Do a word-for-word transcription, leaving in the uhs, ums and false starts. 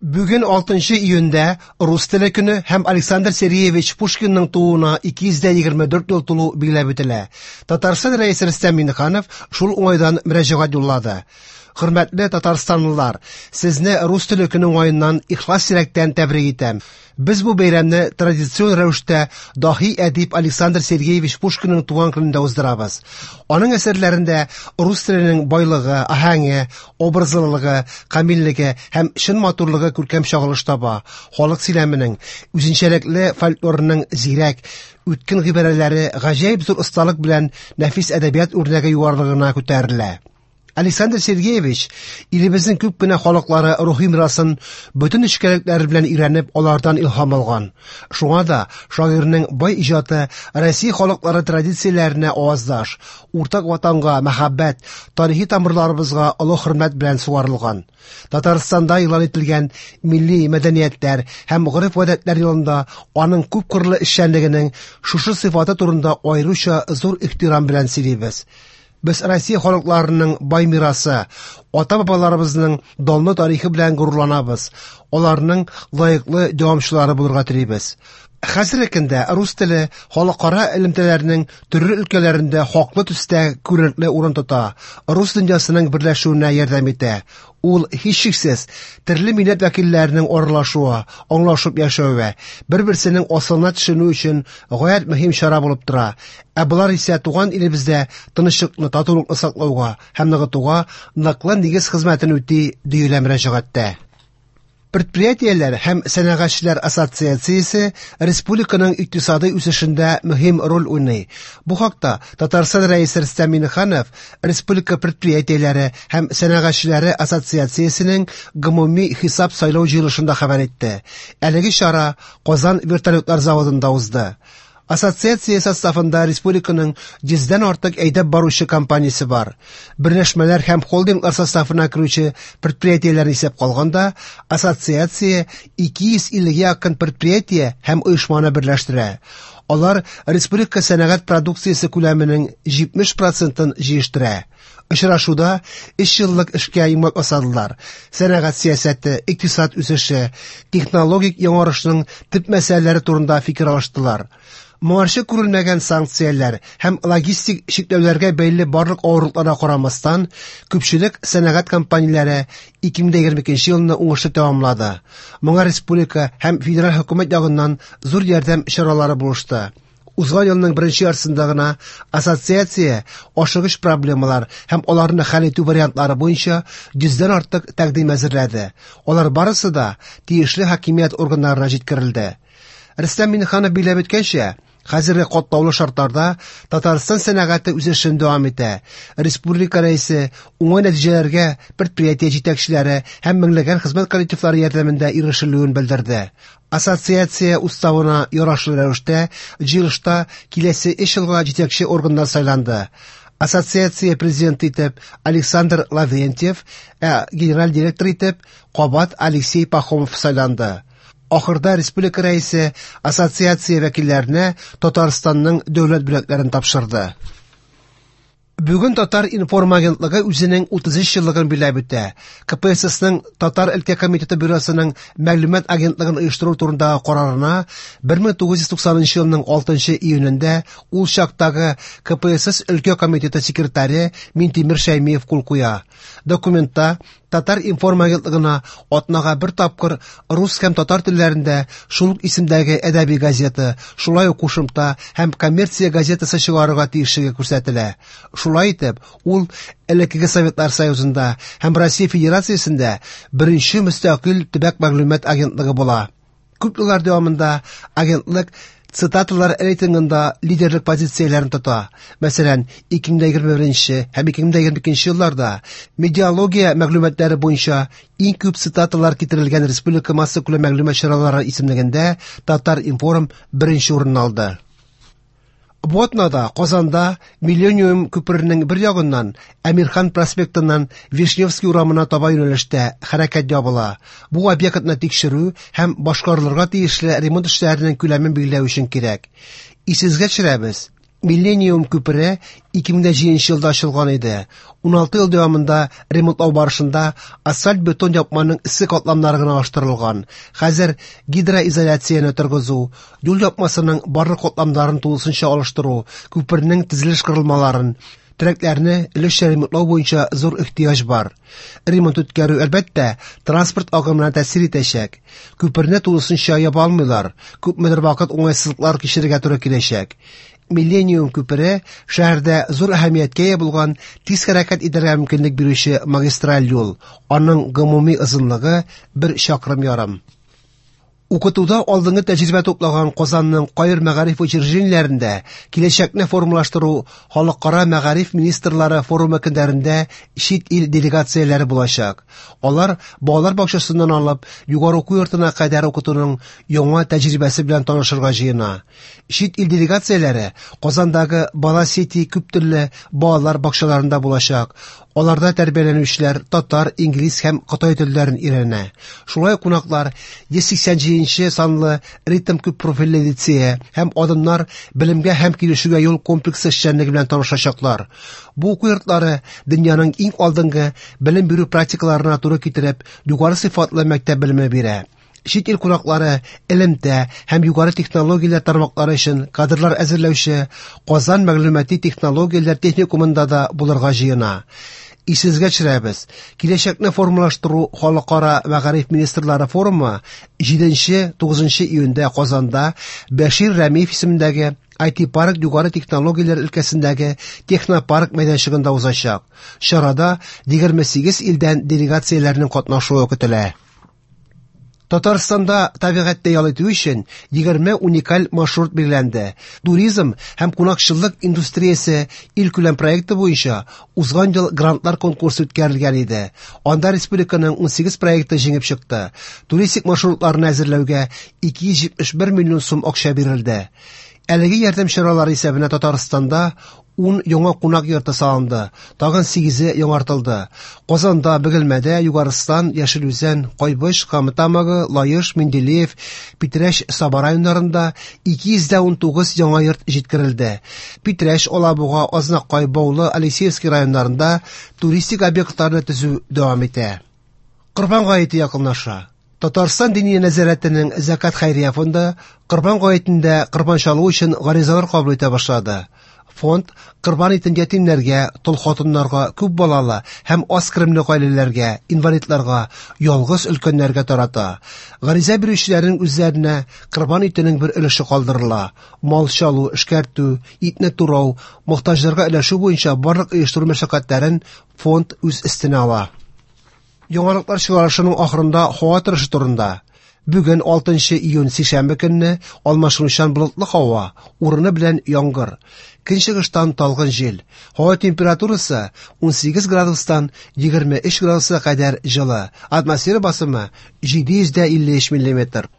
Бүген алтынчы июньдә рус теле көне һәм Александр Сергеевич Пушкинның тууына ике йөз дә егерме дүрт ел тулу билгеләп үтелә. Татарстан Рәисе Рөстәм Миңнеханов шул уңайдан мөрәҗәгать юллады. Хөрмәтле татарстанлылар, сезне рус теле көне уңаеннан ихлас йөрәктән тәбрик итәм. Без бу бәйрәмне традицион рәвештә даһи әдип Александр Сергеевич Пушкинның туган көнендә уздырабыз. Аның әсәрләрендә рус теленең байлыгы, аһәңе, образлылыгы, камиллеге һәм чын матурлыгы күркәм чагылыш таба. Халык сөйләменең, үзенчәлекле фольклорының зирәк, үткен гыйбарәләре гаҗәеп зур осталык белән нәфис әдәбият үрнәге югарылыгына күтәрелә. Александр Сергеевич илебезнең күп кенә халыклары рухи мирасын бөтен нечкәлекләре белән өйрәнеп, алардан илһам алган. Шуңа да шагыйрьнең бай иҗаты Россия халыклары традицияләренә аваздаш, уртак ватанга мәхәббәт, тарихи тамырларыбызга олы хөрмәт белән сугарылган. Татарстанда игълан ителгән милли мәдәниятләр һәм гореф-гадәтләр елында аның күпкырлы эшчәнлегенең шушы сыйфаты турында аеруча зур ихтирам белән сөйлибез. Без Россия халыкларының бай мирасы, ата-бабаларыбызның данлы тарихы белән горурланабыз, аларның лаеклы дәвамчылары булырга телибез. Хәзерге көндә рус теле халыкара элемтәләрнең төрле өлкәләрендә хаклы төстә күренекле урын тота, рус дөньясының берләшүенә ярдәм итә. Ул һичшиксез төрле милләт вәкилләренең аралашуы, аңлашып яшәве, бер-берсенең асылына төшенү өчен гаять мөһим чара булып тора. Ә болар исә туган илебездә тынычлыкны, татулыкны саклауга һәм ныгытуга ныклы нигез хезмәтен үти, диелә мөрәҗәгатьтә. Предприятиеләр һәм сәнәгатьчеләр ассоциациясе республиканың икътисади үсешендә мөһим роль уйный. Бу хакта Татарстан Рәисе Рөстәм Миңнеханов Республика предприятиеләре һәм сәнәгатьчеләре ассоциациясенең гомуми хисап сайлау җыелышында хәбәр итте. Әлеге чара Казан вертолетлар заводында узды. Ассоциация составында республиканың йөздән артык әйдәп баручы компаниясе бар. Берләшмәләр һәм холдинглар составына керүче предприятиеләрне исәп калганда, ассоциация ике йөз иллегә якын предприятие һәм оешманы берләштерә. Алар республика сәнәгать продукциясе күләменең җитмеш процентын җыештыра. Очрашуда өч еллык эшкә йомгак ясадылар. Сәнәгать сәясәте, икътисад үсеше, технологик яңарышның төп мәсьәләләре турында фикер алыштылар. Моңарчы күрелмәгән санкцияләр һәм логистик чикләүләргә бәйле барлык авырлыкларга карамастан, күпчелек сәнәгать компанияләре ике мең егерме икенче елны уңышлы тәмамлады. Моңа республика һәм федераль хөкүмәт ягыннан зур ярдәм чаралары булышты. Узган елның беренче яртысында гына ассоциация ашыгыч проблемалар һәм аларны хәл итү вариантлары буенча йөздән артык тәкъдим әзерләде. Алар барысы да тиешле хакимият органнарына җиткерелде. Рөстәм Миңнеханов билгеләп үткәнчә, хәзерге катлаулы шартларда Татарстан сәнәгате үсешен дәвам итә. Республика рәисе уңай нәтиҗәләргә предприятие җитәкчеләре һәм меңләгән хезмәт коллективлары ярдәмендә ирешелүен белдерде. Ассоциация уставына ярашлы рәвештә җыелышта киләсе өч елга җитәкче органнар сайланды. Ассоциация президенты итеп Александр Лаврентьев, ә генераль директор итеп кабат Алексей Пахомов сайланды. Ахырда республика рәисе ассоциация вәкилләренә Татарстанның дәүләт бүләкләрен тапшырды. Бүген Татар информ агентлыгы үзенең утыз өч еллыгын билгеләп үтә. К П С С-ның Татар өлкә комитеты бюросының мәгълүмат агентлыгын оештыру турындагы карарына бер мең тугыз йөз туксанынчы елның алтынчы июнендә ул чактагы К П С С өлкә комитеты секретаре Минтимер Шәймиев кул куя. Документта Татар информ агентлыгына атнага бер тапкыр рус һәм татар телләрендә шул ук исемдәге әдәби газета, шулай ук кушымта һәм коммерция газетасы чыгарырга тиешлеге күрсәтелә. Шулай итеп, ул элеккеге Советлар Союзында һәм Россия Федерациясендә беренче мөстәкыйль төбәк мәгълүмат агентлыгы була. Күп еллар дәвамында агентлык цитаталар рейтингында лидерлык позицияләрен тота. Мәсәлән, ике мең егерме беренче һәм ике мең егерме икенче елларда медиалогия мәгълүматлары буенча иң күп цитаталар китерелгән республика массакүләм мәгълүмат чаралары исемлегендә Татар информ беренче урын алды. Бу атнада Казанда Миллениум күперенең бер ягыннан Әмирхан проспектыннан Вишневский урамына таба юнәлештә хәрәкәт ябыла. Бу объектны тикшерү һәм башкарылырга тиешле ремонт эшләренең күләмен билгеләү өчен кирәк. Исегезгә төшерәбез. Миллениум күпере ике мең дә җиденче елда ачылган иде. Уналты ел дәвамында ремонтлау барышында асфальт-бетон япманың өске катламнары гына алыштырылган. Хәзер гидроизоляцияне торгызу, юл япмасының барлык катламнарын тулысынча алыштыру, күпернең төзелеш корылмаларын, терәкләрне өлешчә ремонтлау буенча зур ихтыяҗ бар. Ремонт үткәрү, әлбәттә, транспорт агымына тәэсир итәчәк. Күперне тулысынча яба алмыйлар, күпмедер вакыт уңайсызлыклар кичерергә туры киләчәк. Миллениум күпере шәһәрдә зур әһәмияткә ия булган тиз хәрәкәт итәргә мөмкинлек бирүче магистраль юл. Аның гомуми озынлыгы бер чакрым ярым. Укытуда алдынгы тәҗрибә туплаган Казанның кайбер мәгариф учреждениеләрендә киләчәкне формалаштыру халыкара мәгариф министрлары форумы көннәрендә чит ил делегацияләре булачак. Алар балалар бакчасыннан алып югары уку йортына кадәр укытуның яңа тәҗрибәсе белән танышырга җыена. Чит ил делегацияләре Казандагы Бала Сити күп төрле балалар бакчаларында булачак. Аларда тәрбияләнүчеләр татар, инглиз һәм кытай телләрен өйрәнә. Шулай ук кунаклар йөз сиксән җиденче санлы ритм күп профильле лицее һәм адымнар белемгә һәм килешүгә юл комплексы эшчәнлеге белән танышачаклар. Бу уку йортлары дөньяның иң алдынгы белем бирү практикаларына туры китереп, югары сыйфатлы мәктәп белеме бирә. Чит ил кунаклары элемтә һәм югары технологияләр тармаклары өчен кадрлар әзерләүче Казан мәгълүмати технологияләр техникумында да булырга җыена. Исегезгә төшерәбез, киләчәкне формалаштыру халыкара мәгариф министрлары форумы җиденче тугызынчы июньдә Казанда Бәшир Рәмиев исемендәге ай ти парк югары технологияләр өлкәсендәге технопарк мәйданчыгында узачак. Чарада егерме сигез илдән делегацияләрнең катнашуы көтелә. Татарстанда табигатьтә ял итү өчен егерме уникаль маршрут билгеләнде. Туризм һәм кунакчыллык индустриясе илкүләм проекты буенча узган ел грантлар конкурсы үткәрелгән иде. Анда республиканың унсигез проекты җиңеп чыкты. Туристик маршрутларны әзерләүгә ике йөз җитмеш бер миллион сум акча бирелде. Әлеге ярдәм чаралары исәбенә Татарстанда ун яңа кунак йорты салынды, тагын сигезе яңартылды. Казанда, Бөгелмәдә, Югарыстан, Яшел Үзән, Кайбыч, Кама Тамагы, Лаеш, Менделеев, Питрәч, Саба районнарында ике йөз дә унтугыз яңа йорт җиткерелде. Питрәч, Алабуга, Азнакай, Баулы, Алексеевский районнарында туристик объектларны төзү дәвам итә. Корбан гаете якынлаша. Татарстан Диния нәзарәтенең Зәкат хәйрия фонды Корбан гаетендә корбан чалу өчен гаризалар кабул итә башлады. Фонд корбан итен ятимнәргә, тол хатыннарга, күп балалы һәм аз керемле гаиләләргә, инвалидларга, ялгыз өлкәннәргә тарата. Гариза бирүчеләрнең үзләренә корбан итенең бер өлеше калдырыла. Мал чалу, эшкәртү, итне турау, мохтаҗларга өләшү буенча барлык оештыру мәшәкатьләрен фонд үз өстенә ала. Яңалыклар чыгарышының ахырында һава торышы турында. Бүген алтынчы июнь сишәмбе көнне алмашынучан болытлы һава, урыны белән яңгыр. Көнчыгыштан талгын җил. Һава температурасы унсигез градустан егерме өч градуска кадәр җылы. Атмосфера басымы җиде йөз дә илле өч миллиметр.